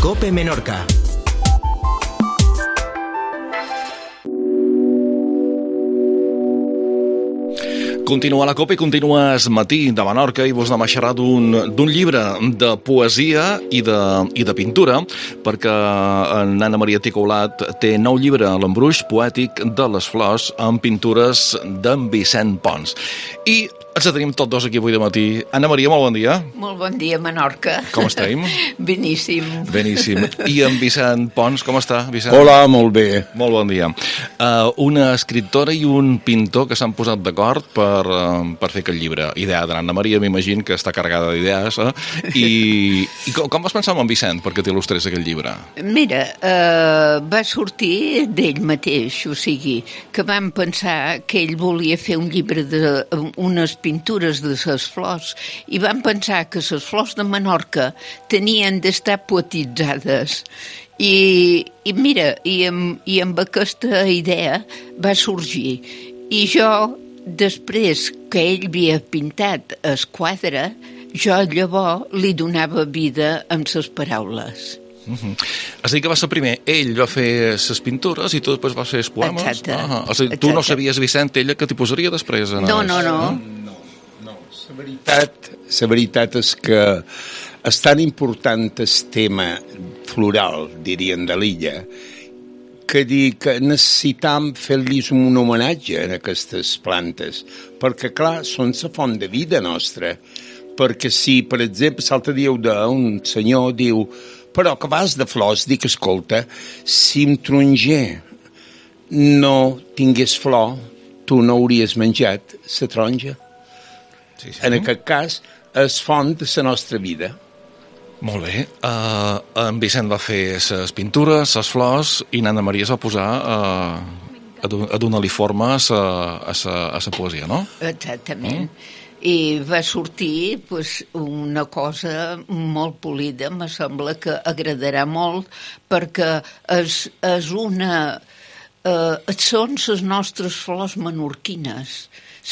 COPE Menorca. Continua la COPE i continua el matí de Menorca i vos anem a xerrar d'un llibre de poesia i de pintura, perquè en Anna Maria Ticaulat té nou llibre, l'Embruix poètic de les flors, amb pintures d'en Vicent Pons. I ens tenim tots dos aquí avui de matí. Anna Maria, molt bon dia. Molt bon dia, Menorca. Com estem? Beníssim. Beníssim. I en Vicent Pons, com està, Vicent? Hola, molt bé. Molt bon dia. Una escriptora i un pintor que s'han posat d'acord per fer aquest llibre. Idea de l'Anna Maria, m'imagino que està carregada d'idees. I com vas pensar en Vicent perquè t'il·lustrés aquest llibre? Mira, va sortir d'ell mateix, o sigui, que vam pensar que ell volia fer un llibre d'unes pintures de les flors i vam pensar que les flors de Menorca tenien d'estar poetitzades. I mira, amb aquesta idea va sorgir. I jo, després que ell havia pintat el quadre, jo llavors li donava vida amb les paraules. És a dir, que va ser primer, ell va fer les pintures i tu després vas fer els poemes? Exacte. És a dir, tu no sabies, Vicent, ella que t'hi posaria després? No. La veritat és que és tan important el tema floral, dirien, de l'illa, que necessitam fer-los un homenatge a aquestes plantes, perquè, clar, són la font de vida nostra. Perquè si, per exemple, l'altre dia un senyor diu però que vas de flors, dic, escolta, si un taronger no tingués flor, tu no hauries menjat la taronja. Sí. En aquest cas, és font de la nostra vida. Molt bé. En Vicent va fer les pintures, les flors, i Anna Maria es va posar a donar-li forma a la poesia, no? Exactament. I va sortir una cosa molt polida, me sembla que agradarà molt, perquè són les nostres flors menorquines,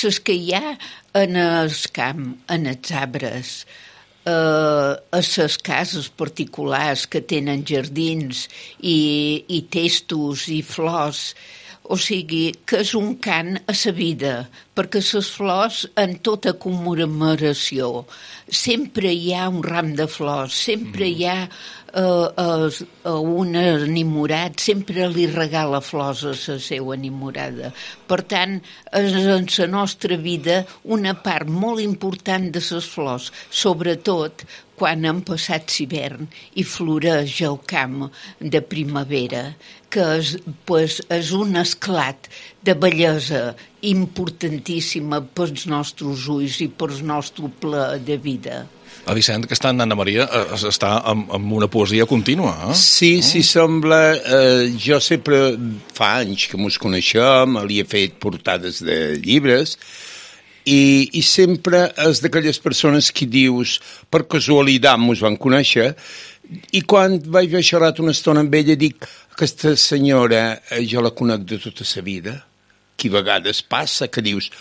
les que hi ha en el camp, en els arbres, a les cases particulars que tenen jardins i testos i flors. O sigui, que és un cant a la vida, perquè les flors, en tota commemoració, sempre hi ha un ram de flors, sempre hi ha un enamorat, sempre li regala flors a la seva enamorada. Per tant, és en la nostra vida una part molt important de les flors, sobretot quan han passat l'hivern i floreix el camp de primavera, que és un esclat de bellesa importantíssima pels nostres ulls i pel nostre pla de vida. A Vicent, que està en Anna Maria, està amb una poesia contínua, eh? Sí, sembla. Jo sempre, fa anys que mos coneixem, li he fet portades de llibres, i sempre és d'aquelles persones que dius, per casualitat mos van conèixer, i quan vaig haver xerrat una estona amb ella dic, aquesta senyora jo la conec de tota la vida, que a vegades passa, que dius,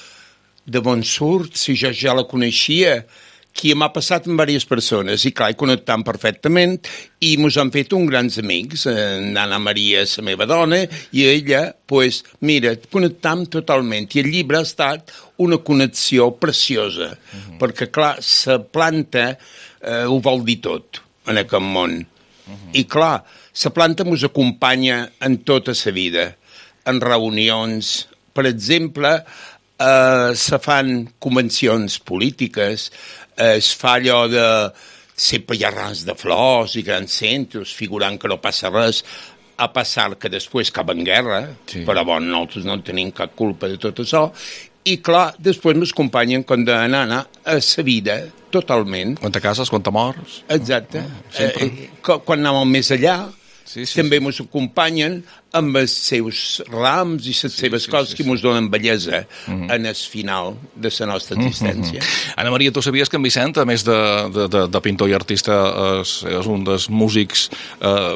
de bon surt, si jo ja la coneixia, que m'ha passat amb diverses persones, i clar, he connectat perfectament, i mos han fet uns grans amics, Anna Maria, la meva dona, i ella, doncs, mira, connectam totalment, i el llibre ha estat una connexió preciosa, perquè clar, la planta ho vol dir tot en aquest món, i clar, la planta mos acompanya en tota la vida, en reunions, per exemple, se fan convencions polítiques, es fa allò de sempre hi ha rams de flors i grans centres figurant que no passa res, a passar que després cap en guerra, sí. Però bon, nosaltres no tenim cap culpa de tot això, i clar, després m'acompanyen quan d'anar a la vida, totalment. Quan te cases, quan te mors. Exacte. Quan anàvem més allà, també ens acompanyen amb els seus rams i les seves coses que ens donen bellesa en el final de la nostra existència. Anna Maria, tu sabies que en Vicent, a més de pintor i artista, és un dels músics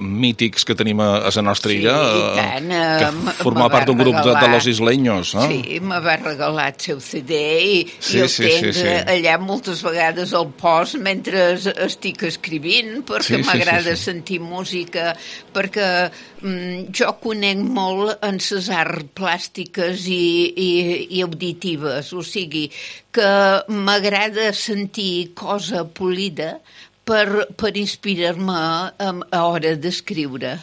mítics que tenim a la nostra illa? I tant. Que formava part d'un grup de Los Isleños, no? Sí, me va regalar el seu CD i el tenc allà moltes vegades al post mentre estic escrivint, perquè m'agrada sentir música, perquè jo conec molt en les arts plàstiques i auditives, o sigui que m'agrada sentir cosa polida per inspirar-me a hora d'escriure.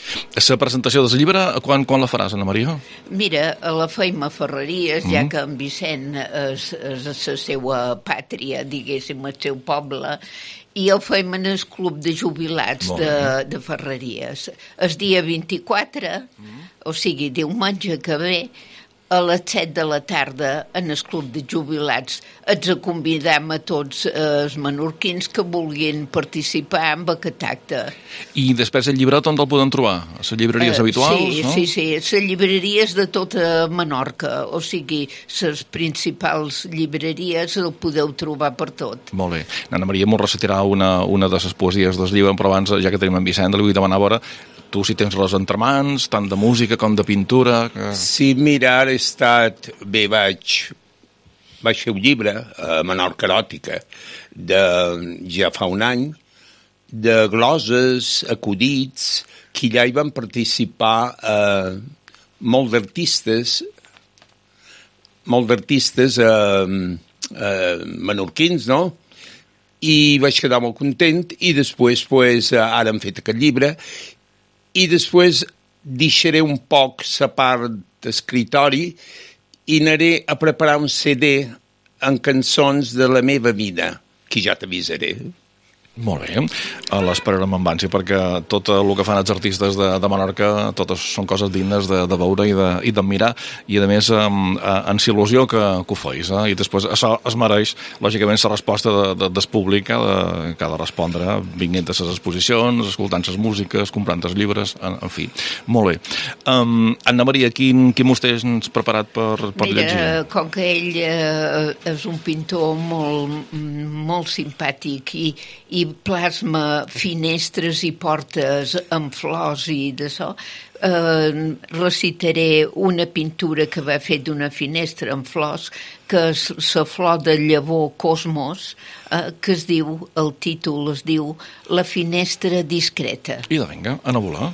La presentació del llibre, quan la faràs, Anna Maria? Mira, la feim a Ferreries, ja que en Vicent és la seva pàtria, diguéssim, el seu poble, i el feim en el club de jubilats de Ferreries. El dia 24, o sigui, diumenge que ve, a les 7 de la tarda, en el club de jubilats, ens convidem a tots els menorquins que vulguin participar en aquest acte. I després el llibret on el podem trobar? A les llibreries habituals, no? Sí, les llibreries de tota Menorca, o sigui, les principals llibreries el podeu trobar per tot. Molt bé. Anna Maria mos recitarà una de les poesies del llibre, però abans, ja que tenim en Vicent, li vull demanar a veure tu si tens res entre mans, tant de música com de pintura... Sí, mira, ara he estat... Bé, vaig fer un llibre, Menorca eròtica, ja fa un any, de gloses, acudits, que allà hi van participar molt d'artistes menorquins, no? I vaig quedar molt content i després, ara hem fet aquest llibre i després deixaré un poc la part d'escritori i anaré a preparar un CD amb cançons de la meva vida, que ja t'avisaré. Molt bé, l'esperarem amb ànsia perquè tot el que fan els artistes de Menorca totes són coses dignes de veure i d'admirar i a més ens il·lusió que ho feis i després això es mereix lògicament la resposta del públic que ha de respondre vinguent a les exposicions, escoltant les músiques, comprant els llibres, en fi, molt bé. Anna Maria, quin mos tens preparat per llegir? Mira, com que ell és un pintor molt simpàtic i plasma finestres i portes amb flors i d'això, recitaré una pintura que va fer d'una finestra amb flors, que és la flor de llavor Cosmos, que es diu, el títol es diu La finestra discreta. I vinga, a volar.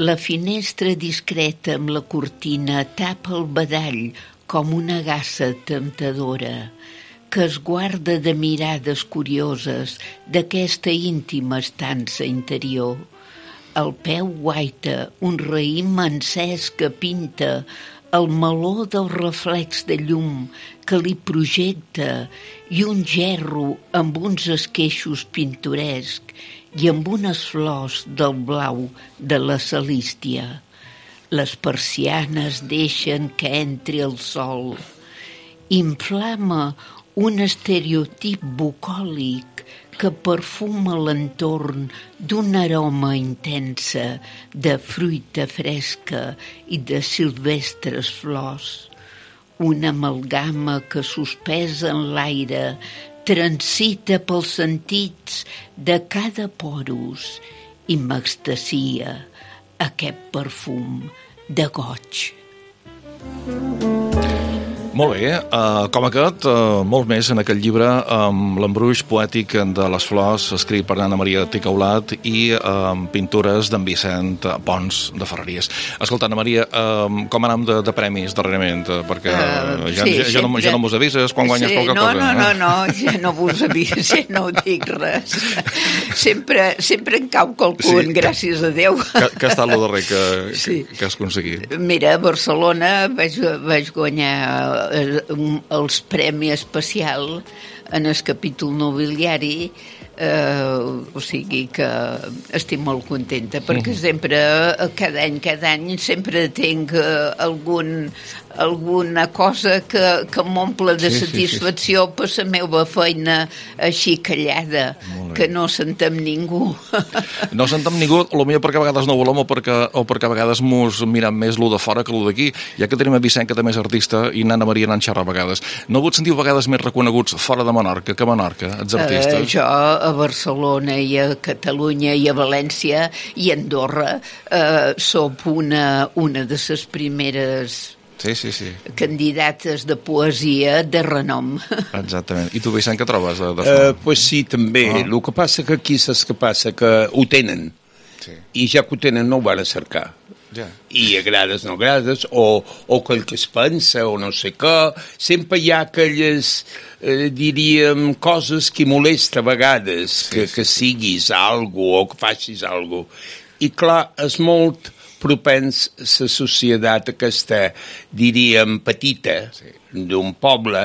La finestra discreta amb la cortina tapa el badall com una gassa temptadora que es guarda de mirades curioses d'aquesta íntima estança interior. Al peu guaita un raïm encès que pinta el meló del reflex de llum que li projecta i un gerro amb uns esqueixos pintorescs i amb unes flors del blau de la salístia. Les persianes deixen que entri el sol. Inflama un estereotip bucòlic que perfuma l'entorn d'una aroma intensa de fruita fresca i de silvestres flors. Una amalgama que suspesa en l'aire transita pels sentits de cada porus i m'extasia aquest perfum de goig. Molt bé, com aquest, molt més en aquest llibre, l'embruix poètic de les flors, escrit per Anna Maria Ticaulat i pintures d'en Vicent Pons de Ferreries. Escolta, Anna Maria, com anem de premis darrerament? Perquè ja no mos avises quan guanyes qualque cosa. No, ja no vos avises, ja no ho dic res. Sempre en cau qualcun, gràcies a Déu. Què ha estat el darrer que has aconseguit? Mira, a Barcelona vaig guanyar els premi especial en el capítol nobiliari, o sigui que estic molt contenta perquè sempre, cada any sempre tinc alguna cosa que m'omple de satisfacció per la meva feina així callada, que no sentem ningú. No sentem ningú, potser perquè a vegades no volem o perquè a vegades mos mirem més lo de fora que lo d'aquí, ja que tenim a Vicent, que també és artista, i Anna Maria n'en xerra a vegades. No vos sentiu a vegades més reconeguts fora de Menorca que a Menorca, els artistes? Jo a Barcelona i a Catalunya i a València i a Andorra sóc una de les primeres candidates de poesia de renom. Exactament. I tu, Vicent, què trobes? Pues sí, també. El que passa que aquí saps què passa? Que ho tenen. I ja que ho tenen no ho van a cercar. I agrades, no agrades, o quel que es pensa, o no sé què. Sempre hi ha aquelles, diríem, coses que molesta a vegades, que siguis algo o que facis algo. I clar, és molt propens la societat aquesta, diríem, petita, d'un poble,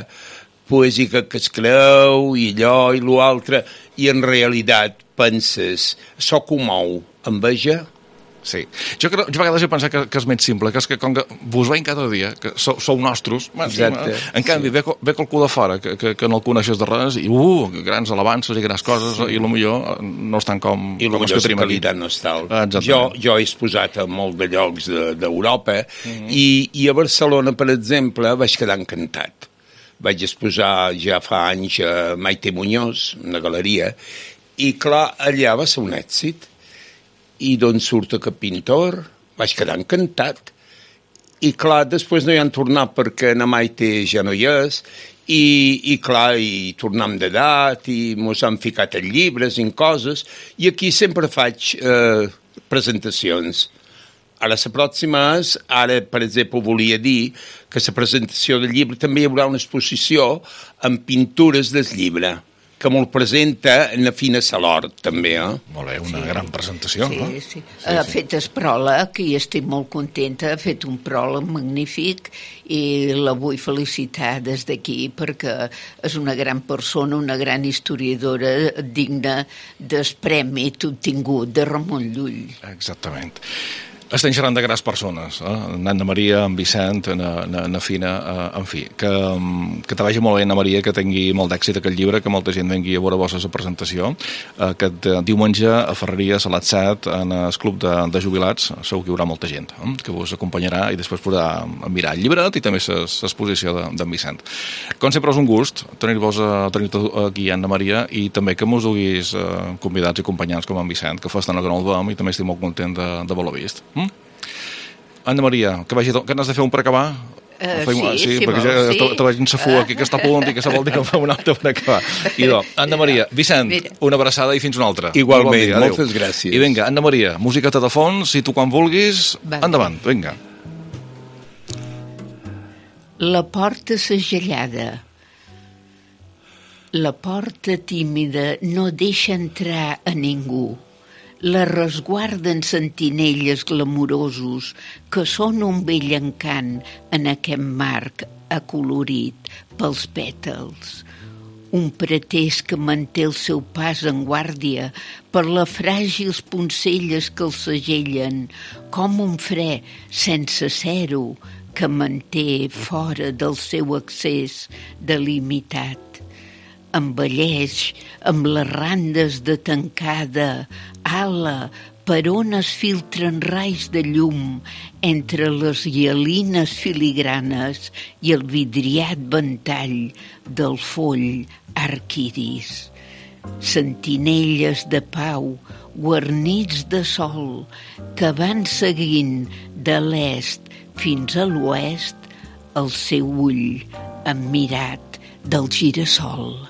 poèsica que es creu, i allò i l'altre, i en realitat penses, això que ho mou, enveja? Sí. Jo a vegades he pensat que és més simple, que és que com que vos veiem cada dia, que sou nostres, en canvi ve qualcú de fora que no el coneixes de res i grans alabances i grans coses i potser no estan com i els que tenim aquí. I potser la qualitat no és tal. Jo he exposat a molt de llocs d'Europa i a Barcelona, per exemple, vaig quedar encantat. Vaig exposar ja fa anys a Maite Muñoz, una galeria, i clar, allà va ser un èxit. I d'on surt aquest pintor, vaig quedar encantat. I clar, després no hi han tornat perquè na Maite ja no hi és, i clar, i tornem d'edat, i mos han ficat en llibres, en coses, i aquí sempre faig presentacions. Ara la pròxima és, ara per exemple volia dir que la presentació del llibre també hi haurà una exposició amb pintures del llibre, que me'l presenta en la Fina Salort, també, Molt bé, una gran presentació, no? Sí. Ha fet el pròleg i estic molt contenta, ha fet un pròleg magnífic i la vull felicitar des d'aquí perquè és una gran persona, una gran historiadora digna del premi obtingut de Ramon Llull. Exactament. Estem xerrant de grans persones, Anna Maria, en Vicent, na Fina, en fi, que te vagi molt bé, Anna Maria, que tingui molt d'èxit aquest llibre, que molta gent vengui a veure vostra presentació. Aquest diumenge a Ferreries, a les 7, en el club de jubilats, segur que hi haurà molta gent que vos acompanyarà i després podrà mirar el llibret i també l'exposició d'en Vicent. Com sempre és un gust tenir-vos aquí, Anna Maria, i també que mos duguis convidats i acompanyants com en Vicent, que fa estona que no el veiem i també estic molt content d'haver-lo vist. Anna Maria, que n'has de fer un per acabar? Sí, perquè ja te veig en safú aquí que està a punt i que se vol dir que fa un altre per acabar. Anna Maria, Vicent, una abraçada i fins una altra. Igualment, moltes gràcies. I vinga, Anna Maria, musiqueta de fons, si tu quan vulguis, endavant, vinga. La porta segellada. La porta tímida no deixa entrar a ningú. La resguarden sentinelles glamurosos que són un bell encant en aquest marc acolorit pels pètals. Un pretès que manté el seu pas en guàrdia per les fràgils poncelles que el segellen, com un fre sense ser-ho que manté fora del seu accés delimitat. Envelleix amb les randes de tancada ala per on es filtren raigs de llum entre les hialines filigranes i el vidriat ventall del foll arquiris. Sentinelles de pau guarnits de sol que van seguint de l'est fins a l'oest el seu ull emmirat del girassol.